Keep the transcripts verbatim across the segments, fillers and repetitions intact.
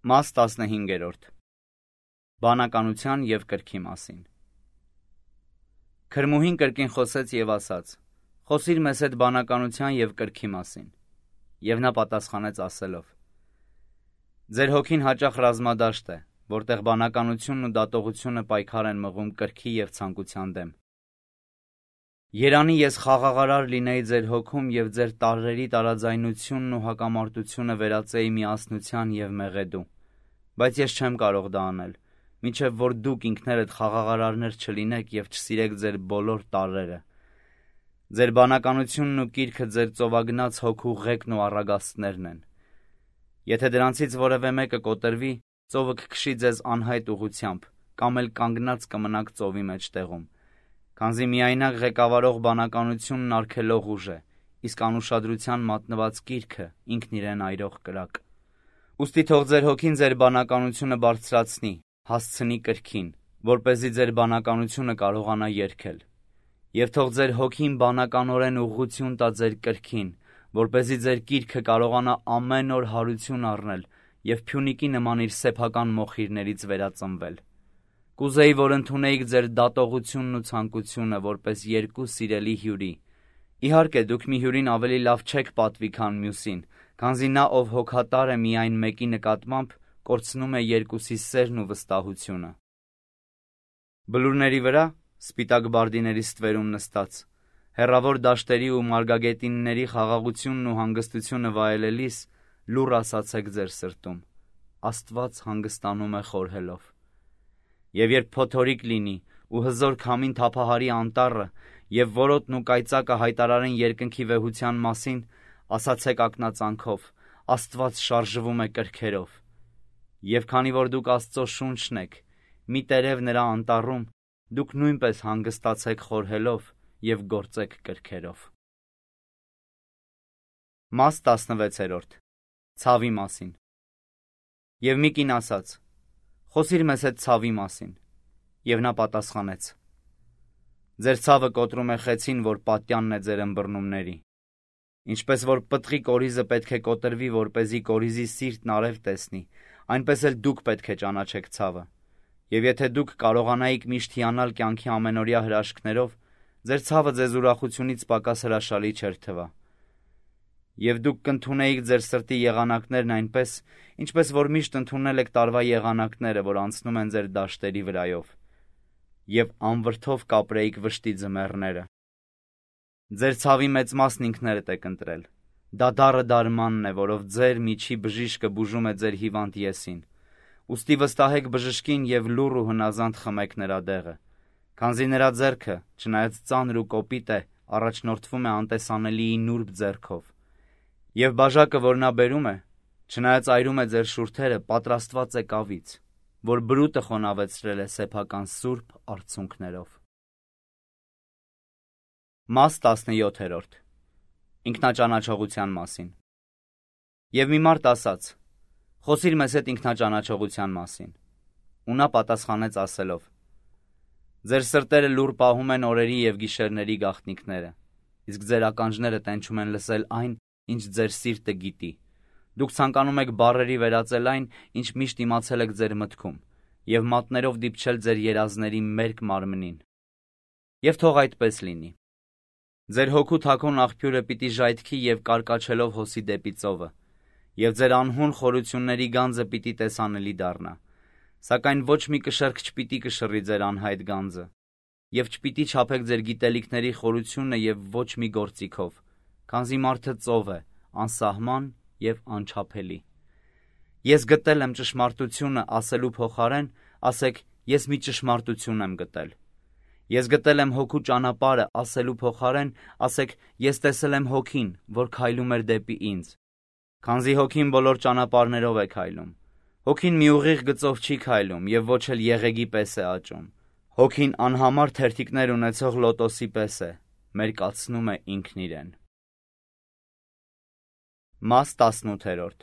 Մաս տասնհինգերորդ. Բանականության և կրքի մասին։ Քրմուհին կրկին խոսեց և ասաց. «Խոսիր մեզ հետ բանականության և կրքի մասին»։ Եվ նա պատասխանեց ասելով. «Ձեր հոգին հաճախ ռազմադաշտ է, որտեղ բանականությունն ու դատողությունը պայքար են մղում կրքի և ցանկության դեմ։ Երանի ես խաղաղարար լինեի ձեր հոգում և ձեր տարրերի տարաձայնությունն ու հակամարտությունը վերածեի միասնության և մեղեդու, բայց ես չեմ կարող դա անել, մինչև որ դուք ինքներդ խաղաղարարներ չլինեք և չսիրեք ձեր բոլոր տարրերը։ Ձեր բանականությունն ու կիրքը ձեր ծովագնաց հոգու ղեկն ու առագաստներն են։ Եթե դրանցից որևէ մեկը կոտրվի, ծովը կքշի ձեզ անհայտ ուղղությամբ, կամ էլ կանգնած կմնաք ծովի մեջտեղում, քանզի միայնակ ղեկավարող բանականությունն արգելող ուժ է, իսկ անուշադրության մատնված կիրքը ինքն իրեն այրող կրակ։ Ուստի թող ձեր հոգին ձեր բանականությունը բարձրացնի, հասցնի կրքին, որպեսզի ձեր բանականությունը կարողանա երգել։ Եվ թող ձեր հոգին բանականորեն ուղղություն տա ձեր կրքին, որպեսզի ձեր կիրքը կարողանա ամեն օր հարություն առնել և փյունիկի նման իր սեփական մոխիրներից վերածնվել։ Կուզեի, որ ընդունեիք ձեր դատողությունն ու ցանկությունը որպես երկու սիրելի հյուրի։ Իհարկե, դուք մի հյուրին ավելի լավ չեք պատվի, քան մյուսին, քանզի նա, ով հոգատար է միայն մեկի նկատմամբ, կորցնում է երկուսի սերն ու վստահությունը։ Բլուրների վրա, սպիտակ բարդիների ստվերում նստած, հեռավոր դաշտերի ու մարգագետինների խաղաղությունն ու հանգստությունը վայելելիս, լուռ ասացեք ձեր սրտում. Աստված հանգստանում է խորհելով։ Եվ երբ փոթորիկ լինի ու հզոր քամին թափահարի անտառը, և որոտն ու կայծակը հայտարարեն երկնքի վեհության մասին, ասացեք ակնածանքով. Աստված շարժվում է կրքերով։ Եվ քանի որ դուք Աստծո շունչն եք, մի տերև նրա անտառում, դուք նույնպես հանգստացեք խորհելով և գործեք կրքերով։ Մաս տասնվեցերորդ. Ցավի մասին։ Եվ մի կին ասաց. «Խոսիր մեզ հետ ցավի մասին»։ Եվ նա պատասխանեց. «Ձեր ցավը կոտրում է խեցին, որ պատյանն է ձեր ըմբռնումների։ Ինչպես որ պտղի կորիզը պետք է կոտրվի, որպեսզի կորիզի սիրտն արև տեսնի, այնպես էլ դուք պետք է ճանաչեք ցավը։ Եվ եթե դուք կարողանայիք միշտ հիանալ կյանքի ամենօրյա հրաշքներով, ձեր ցավը ձեզ ուրախությունից պակաս հրաշալի չէր թվա։ Եվ դուք կընդունեիք ձեր սրտի եղանակներն այնպես, ինչպես որ միշտ ընդունել եք տարվա եղանակները, որ անցնում են ձեր դաշտերի վրայով, և անվրդով կապրեիք վշտի ձմեռները։ Ձեր ցավի մեծ մասն ինքներդ եք ընտրել։ Դա դառը դարմանն է, որով ձեր միջի բժիշկը բուժում է ձեր հիվանդ եսին։ Ուստի վստահեք բժշկին և լուռ ու հնազանդ խմեք նրա դեղը, քանզի նրա ձեռքը, չնայած ծանր ու կոպիտ է, առաջնորդվում է անտեսանելիի նուրբ ձեռքով։ Եվ բաժակը, որ նա բերում է, չնայած այրում է ձեր շուրթերը, պատրաստված է կավից, որ բրուտը խոնավեցրել է սեփական սուրբ արցունքներով։ Մաս տասնյոթերորդ. Ինքնաճանաչողության մասին։ Եվ մի մարդ ասաց. «Խոսիր մեզ հետ ինքնաճանաչողության մասին»։ Ու նա պատասխանեց ասելով. «Ձեր սրտերը լուռ պահում են օրերի և գիշերների գաղտնիքները, իսկ ձեր ականջները տենչում են լսել այն, ինչ ձեր սիրտը գիտի։ Դուք ցանկանում եք բառերի վերածել այն, ինչ միշտ իմացել եք ձեր մտքում, և մատներով դիպչել ձեր երազների մերկ մարմնին։ Եվ թող այդպես լինի։ Ձեր հոգու թաքուն աղբյուրը պիտի ժայթքի և կարկաչելով հոսի դեպի ծովը, և ձեր անհուն խորությունների գանձը պիտի տեսանելի դառնա։ Սակայն ոչ մի կշեռք չպիտի կշռի ձեր անհայտ գանձը, և չպիտի չափեք ձեր գիտելիքների խորությունը և ոչ մի գործիքով, քանզի մարդը ծով է, անսահման և անչափելի։ Ես գտել եմ ճշմարտությունը ասելու փոխարեն, ասեք ես մի ճշմարտություն եմ գտել։ Ես գտել եմ հոգու ճանապարհը ասելու փոխարեն, ասեք ես տեսել եմ հոգին, որ քայլում էր դեպի ինձ։ Քանզի հոգին բոլոր ճանապարհներով է քայլում։ Հոգին մի ուղիղ գծով չի քայլում և ոչ էլ եղեգի պես է աճում։ Հոգին անհամար թերթիկներ ունեցող լոտոսի պես է, մերկացնում է ինքն իրեն։ Մաս տասնութերորդ.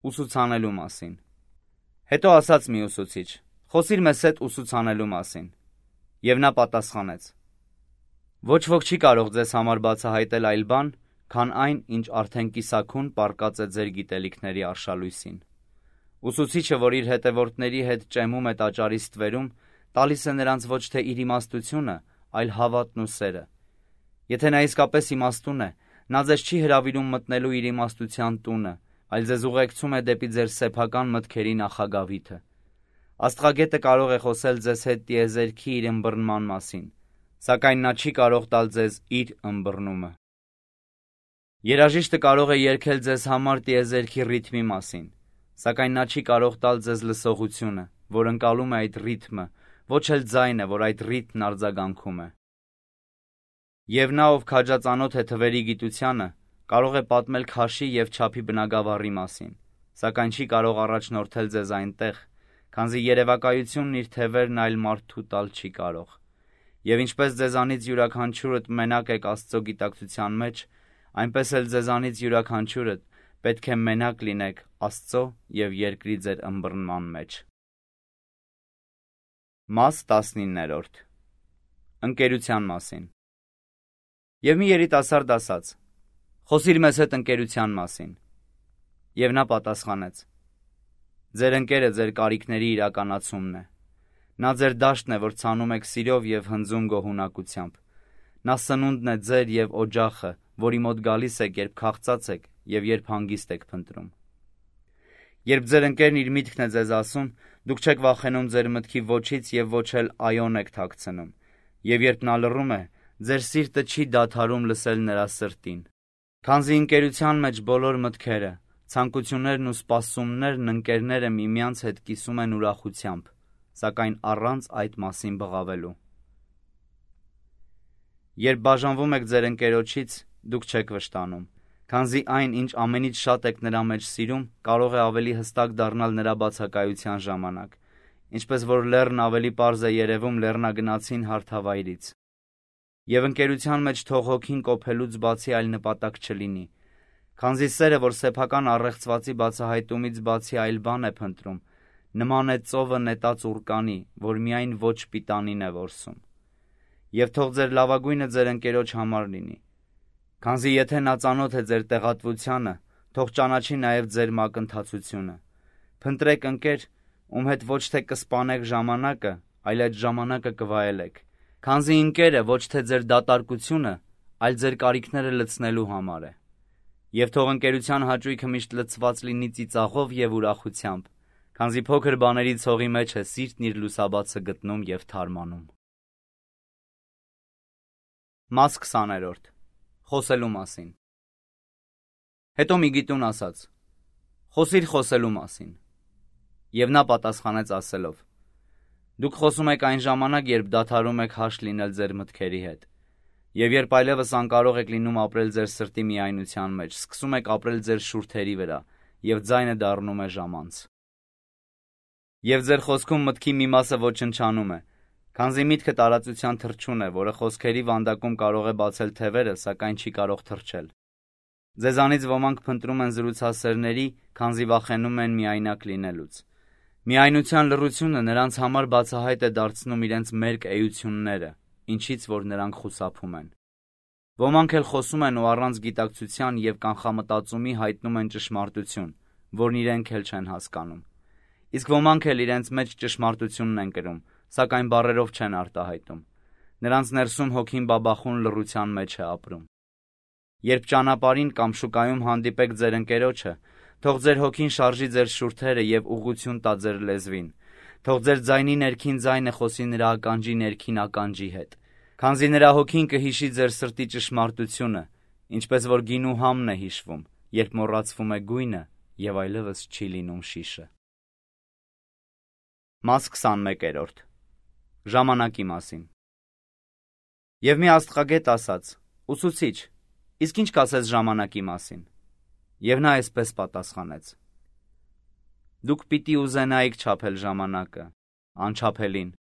Ուսուցանելու մասին։ Հետո ասաց մի ուսուցիչ. «Խոսիր մեզ հետ ուսուցանելու մասին»։ Եվ նա պատասխանեց. «Ոչ ոք չի կարող ձեզ համար բացահայտել այլ բան, քան այն, ինչ արդեն կիսաքուն պառկած է ձեր գիտելիքների արշալույսին։ Ուսուցիչը, որ իր հետևորդների հետ ճեմում է տաճարի ստվերում, տալիս է նրանց ոչ թե իր իմաստությունը, այլ հավատն ու սերը։ Եթե նա իսկապես իմաստուն է, նա ձեզ չի հրավիրում մտնելու իր իմաստության տունը, այլ ձեզ ուղեկցում է դեպի ձեր սեփական մտքերի նախագավիթը։ Աստղագետը կարող է խոսել ձեզ հետ տիեզերքի իր ըմբռնման մասին, սակայն նա չի կարող տալ ձեզ իր ըմբռնումը։ Երաժիշտը կարող է երգել ձեզ համար տիեզերքի ռիթմի մասին, սակայն նա չի կարող տալ ձեզ լսողությունը, որ ընկալում է այդ ռիթմը, ոչ էլ ձայնը, որ այդ ռիթմն արձագանքում է։ Եվ նա, ով քաջածանոթ է թվերի գիտությանը, կարող է պատմել քաշի և չափի բնագավառի մասին, սակայն չի կարող առաջնորդել ձեզ այնտեղ, քանզի երևակայությունն իր թևերն այլ մարդու տալ չի կարող։ Եվ ինչպես ձեզանից յուրաքանչյուրդ մենակ եք Աստծո գիտակցության մեջ, այնպես էլ ձեզանից յուրաքանչյուրդ պետք է մենակ լինեք Աստծո և երկրի ձեր ըմբռնման մեջ։ Մաս տասնիններորդ Ընկերության մասին։ Եվ մի երիտասարդ ասաց. «Խոսիր մեզ հետ ընկերության մասին»։ Եվ նա պատասխանեց. «Ձեր ընկերը ձեր կարիքների իրականացումն է։ Նա ձեր դաշտն է, որ ցանում եք սիրով և հնձում գոհունակությամբ։ Նա սնունդն է ձեր և օջախը, որի մոտ գալիս եք, երբ քաղցած եք և երբ հանգիստ եք փնտրում։ Երբ ձեր ընկերն իր միտքն է ձեզ ասում, դուք չեք վախենում ձեր մտքի ոչից և ոչ էլ այոն եք թաքցնում, և երբ նա լռում է, ձեր սիրտը չի դադարում լսել նրա սրտին։ Քանզի ընկերության մեջ բոլոր մտքերը, ցանկություններն ու սպասումներն ընկերները միմյանց հետ կիսում են ուրախությամբ, սակայն առանց այդ մասին բղավելու։ Երբ բաժանվում եք ձեր ընկերոջից, դուք չեք վշտանում, քանզի այն, ինչ ամենից շատ եք նրա մեջ սիրում, կարող է ավելի հստակ դառնալ նրա բացակայության ժամանակ, ինչպես որ լեռն ավելի պարզ է երևում լեռնագնացին հարթավայրից։ Եվ ընկերության մեջ թող հոգին կոփելուց բացի այլ նպատակ չլինի, քանզի սերը, որ սեփական առեղծվածի բացահայտումից բացի այլ բան է փնտրում, նման է ծովը նետած ուռկանի, որ միայն ոչ պիտանին է որսում։ Եվ թող ձեր լավագույնը ձեր ընկերոջ համար լինի, քանզի եթե նա ծանոթ է ձեր տեղատվությանը, թող ճանաչի նաև ձեր մակընթացությունը։ Փնտրեք ընկեր, ում հետ ոչ թե կսպանեք ժամանակը, այլ այդ ժամանակը կվայելեք, քանզի ընկերը ոչ թե ձեր դատարկությունը, այլ ձեր կարիքները լցնելու համար է։ Եվ թող ընկերության հաճույքը միշտ լցված լինի ծիծաղով և ուրախությամբ, քանզի փոքր բաների ցողի մեջ է սիրտն իր լուսաբացը գտնում և թարմանում։ Մաս քսաներորդ Խոսելու մասին։ Հետո մի գիտուն ասաց. «Խոսիր խոսելու մասին»։ Եվ նա պատասխանեց ասելով. «Դուք խոսում եք այն ժամանակ, երբ դադարում եք հաշ լինել ձեր մտքերի հետ, և երբ այլևս անկարող եք լինում ապրել ձեր սրտի միայնության մեջ, սկսում եք ապրել ձեր շուրթերի վրա, և ձայնը դառնում է ժամանց։ Եվ ձեր խոսքում մտքի մի մասը ոչնչանում է, քանզի միտքը տարածության թռչուն է, որը խոսքերի վանդակում կարող է բացել թևերը, սակայն չի կարող թռչել։ Ձեզանից ոմանք փնտրում են զրուցասերների, քանզի վախենում են միայնակ լինելուց։ Միայնության լռությունը նրանց համար բացահայտ է դարձնում իրենց մերկ էությունները, ինչից որ նրանք խուսափում են։ Ոմանք էլ խոսում են ու առանց գիտակցության և կանխամտածումի հայտնում են ճշմարտություն, որն իրենք էլ չեն հասկանում։ Իսկ ոմանք էլ իրենց մեջ ճշմարտությունն են կրում, սակայն բառերով չեն արտահայտում։ Նրանց ներսում հոգին բաբախուն լռության մեջ է ապրում։ Երբ ճանապարհին կամ շուկայում հանդիպեք ձեր ընկերոջը, թող ձեր հոգին շարժի ձեր շուրթերը և ուղղություն տա ձեր լեզվին, թող ձեր ձայնի ներքին ձայնը խոսի նրա ականջի ներքին ականջի հետ, քանզի նրա հոգին կհիշի ձեր սրտի ճշմարտությունը, ինչպես որ գինու համն է հիշվում, երբ մոռացվում է գույնը և այլևս չի լինում շիշը։ Մաս քսանմեկերորդ Ժամանակի մասին։ Եվ մի աստղագետ ասաց. «Ուսուցիչ, իսկ ինչ կասես ժամանակի մասին»։ Եվ նա այսպես պատասխանեց. «Դուք պիտի ուզենայիք չափել ժամանակը, անչափելին։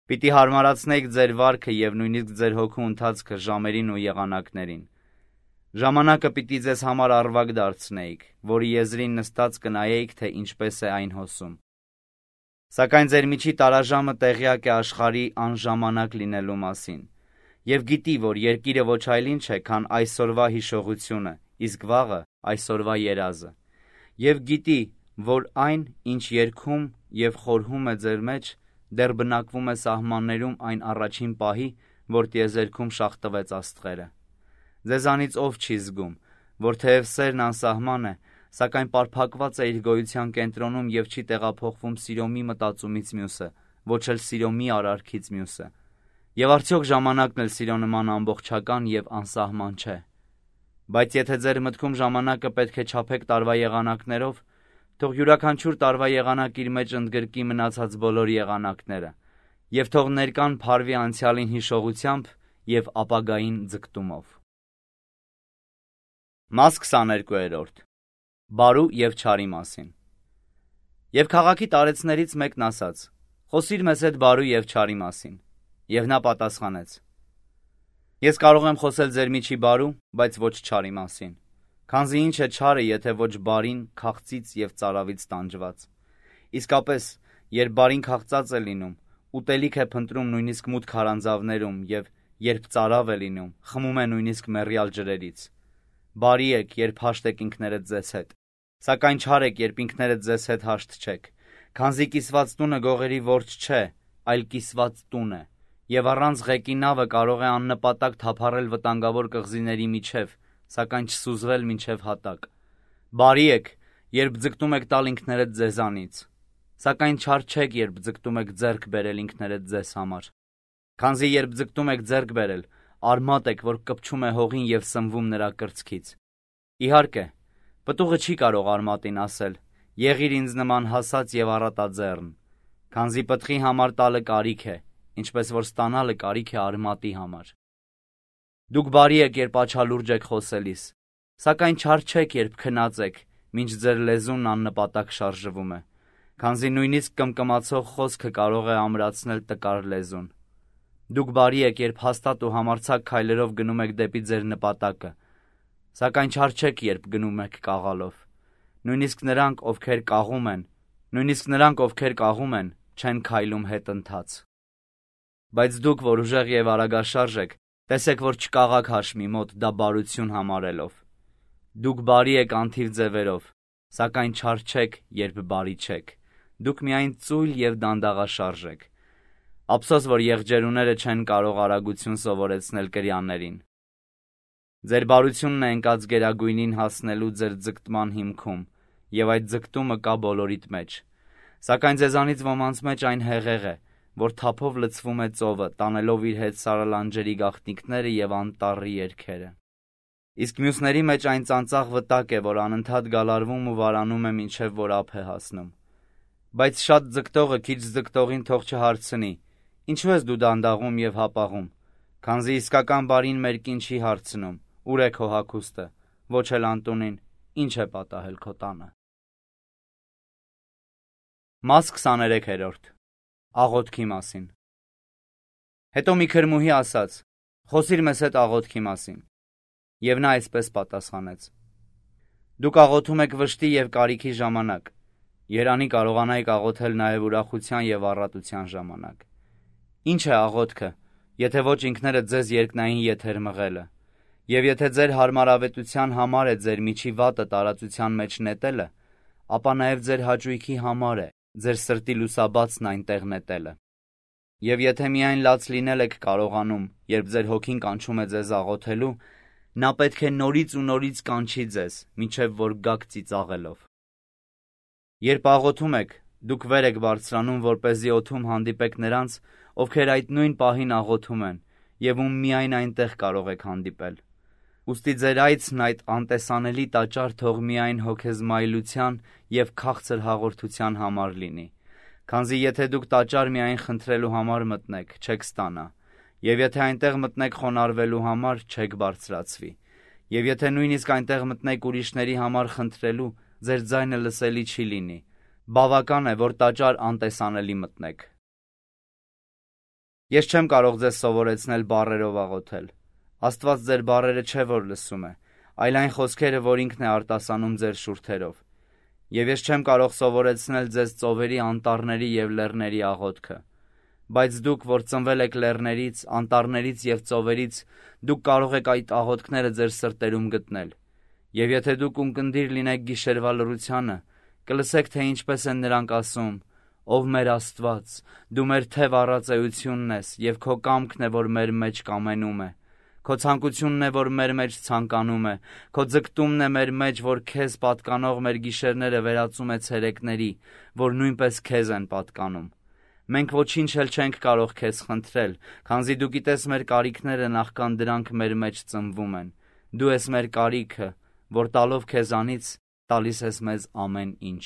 Պիտի հարմարացնեիք ձեր վարքը և նույնիսկ ձեր հոգու ընթացքը ժամերին ու եղանակներին։ Ժամանակը պիտի ձեզ համար առվակ դարձնեիք, որի եզրին նստած կնայեիք, թե ինչպես է այն հոսում։ Սակայն ձեր միջի տարաժամը տեղյակ է աշխարհի անժամանակ լինելու մասին, և գիտի, որ երկիրը ոչ այլ ինչ է, քան այսօրվա հիշողությունը, իսկ վաղը այսօրվա երազը։ Եվ գիտի, որ այն, ինչ երգում և խորհում է ձեր մեջ, դեռ բնակվում է սահմաններում այն առաջին պահի, որ տիեզերքում շաղթվեց աստղերը։ Ձեզանից ով չի զգում, որ թեև սերն անսահման է, սակայն պարփակված է իր գոյության կենտրոնում և չի տեղափոխվում սիրո մի մտածումից մյուսը, ոչ էլ սիրո մի արարքից մյուսը։ Եվ արդյոք ժամանակն էլ սիրո նման ամբողջական և անսահման չէ։ Բայց եթե ձեր մտքում ժամանակը պետք է չափեք տարվա եղանակներով, թող յուրաքանչյուր տարվա եղանակ իր մեջ ընդգրկի մնացած բոլոր եղանակները, և թող ներկան փարվի անցյալին հիշողությամբ և ապագային ձգտումով։ Մաս քսաներկու. Բարու և չարի մասին։ Եվ քաղաքի տարեցներից մեկն ասաց. «Խոսիր մեզ հետ բարու և չարի մասին»։ Եվ նա պատասխանեց. Ես կարող եմ խոսել ձեր միջի բարու, բայց ոչ չարի մասին, քանզի ինչ է չարը, եթե ոչ բարին քաղծից և ծարավից տանջված։ Իսկապես, երբ բարին քաղծած է լինում, ուտելիք է փնտրում նույնիսկ մութ քարանձավներում և երբ ծարավ է լինում, խմում է նույնիսկ մեռյալ ջրերից։ Բարի եք, երբ հաշտ եք ինքներդ ձեզ հետ, սակայն չար եք, երբ ինքներդ ձեզ հետ հաշտ չեք, քանզի կիսված տունը գողերի որջ չէ, այլ կիսված տուն է, և առանց ղեկի նավը կարող է աննպատակ թափառել վտանգավոր կղզիների միջև, սակայն չսուզվել մինչև հատակ։ Բարի եք, երբ ձգտում եք տալ ինքներդ ձեզանից, սակայն չար չեք, երբ ձգտում եք ձեռք բերել ինքներդ ձեզ համար, քանզի երբ ձգտում եք ձեռք բերել, արմատ եք, որ կպչում է հողին և սնվում նրա կրծքից։ Իհարկե, պտուղը չի կարող արմատին ասել. «Եղիր ինձ նման հասած և առատաձեռն», քանզի պտղի համար տալը կարիք է, ինչպես որ ստանալը կարիք է արմատի համար։ Դուք բարի եք, երբ աչալուրջ եք խոսելիս, սակայն չար չեք, երբ քնած եք, մինչ ձեր լեզուն աննպատակ շարժվում է, քանզի նույնիսկ կմկմացող խոսքը կարող է ամրացնել տկար լեզուն։ Դուք բարի եք, երբ հաստատ ու համարձակ քայլերով գնում եք դեպի ձեր նպատակը, սակայն չար չեք, երբ գնում եք կաղալով։ Նույնիսկ նրանք, ովքեր կաղում են, նույնիսկ նրանք, ովքեր կաղում են, չեն քայլում հետընթաց։ Բայց դուք, որ ուժեղ և արագաշարժ եք, տեսեք, որ չկաղաք հաշմի մոտ, դա բարություն համարելով։ Դուք բարի եք անթիվ ձևերով, սակայն չար չեք, երբ բարի չեք։ Դուք միայն ծույլ և դանդաղաշարժ եք։ Ափսոս, որ եղջերուները չեն կարող արագություն սովորեցնել կրյաներին։ Ձեր բարությունն է ընկած գերագույնին հասնելու ձեր ձգտման հիմքում, և այդ ձգտումը կա բոլորիդ մեջ։ Սակայն ձեզանից ոմանց մեջ այն հեղեղ է, որ թափով լցվում է ծովը, տանելով իր հետ սարալանջերի գաղտնիքները և անտառի երգերը։ Իսկ մյուսների մեջ այն ծանծաղ վտակ է, որ անընդհատ գալարվում ու վարանում է, մինչև որ ափ է հասնում։ Բայց շատ ձգտողը քիչ ձգտողին թող չհարցնի. «Ինչու ես դու դանդաղում և հապաղում», քանզի իսկական բարին մերկին չի հարցնում. «Ո՞ւր է քո հագուստը», ոչ էլ անտունին. «Ի՞նչ է պատահել քո տանը»։ Մաս քսաներեք. Աղոթքի մասին։ Հետո մի քրմուհի ասաց. «Խոսիր մեզ հետ աղոթքի մասին»։ Եվ նա այսպես պատասխանեց. «Դուք աղոթում եք վշտի և կարիքի ժամանակ, երանի կարողանայիք աղոթել նաև ուրախության և առատության ժամանակ։ Ինչ է աղոթքը, եթե ոչ ինքներդ ձեզ երկնային եթեր մղելը, և եթե ձեր հարմարավետության համար է ձեր միջի վատը տարածության մեջ նետելը, ապա նաև ձեր հաճույքի համար է ձեր սրտի լուսաբացն այնտեղ նետելը։ Եվ եթե միայն լաց լինել եք կարողանում, երբ ձեր հոգին կանչում է ձեզ աղոթելու, նա պետք է նորից ու նորից կանչի ձեզ, մինչև որ գաք ծիծաղելով։ Երբ աղոթում եք, դուք վեր եք բարձրանում, որպեսզի օդում հանդիպեք նրանց, ովքեր այդ նույն պահին աղոթում են, և ում միայն այնտեղ կարող եք հանդիպել։ Ուստի ձեր այցն այդ անտեսանելի տաճար թող միայն հոգեզմայլության և քաղցր հաղորդության համար լինի, քանզի եթե դուք տաճար միայն խնդրելու համար մտնեք, չեք ստանա, և եթե այնտեղ մտնեք խոնարհվելու համար, չեք բարձրացվի, և եթե նույնիսկ այնտեղ մտնեք ուրիշների համար խնդրելու, ձեր ձայնը լսելի չի լինի, բավական է, որ տաճար անտեսանելի մտնեք։ Ես չեմ կարող ձեզ սովորեցնել բառերով աղոթել։ Աստված ձեր բառերը չէ, որ լսում է, այլ այն խոսքերը, որ ինքն է արտասանում ձեր շուրթերով։ Եվ ես չեմ կարող սովորեցնել ձեզ ծովերի, անտառների և լեռների աղոթքը։ Բայց դուք, որ ծնվել եք լեռներից, անտառներից և ծովերից, դուք կարող եք այդ աղոթքները ձեր սրտերում գտնել։ Եվ եթե դուք ունկնդիր լինեք գիշերվա լռությանը, Կլսեք, թե ինչպես են նրանք ասում. «Ով մեր Աստված, դու մեր թև առած էությունն ես, և քո կամքն է, որ մեր մեջ կամենում է։ Քո ցանկությունն է, որ մեր մեջ ցանկանում է, քո ձգտումն է մեր մեջ, որ քեզ պատկանող մեր գիշերները վերածում է ցերեկների, որ նույնպես քեզ են պատկանում։ Մենք ոչինչ էլ չենք կարող քեզ խնդրել, քանզի դու գիտես մեր կարիքները նախքան դրանք մեր մեջ ծնվում են։ Դու ես մեր կարիքը, որ տալով քեզանից տալիս ես մեզ ամեն ինչ»։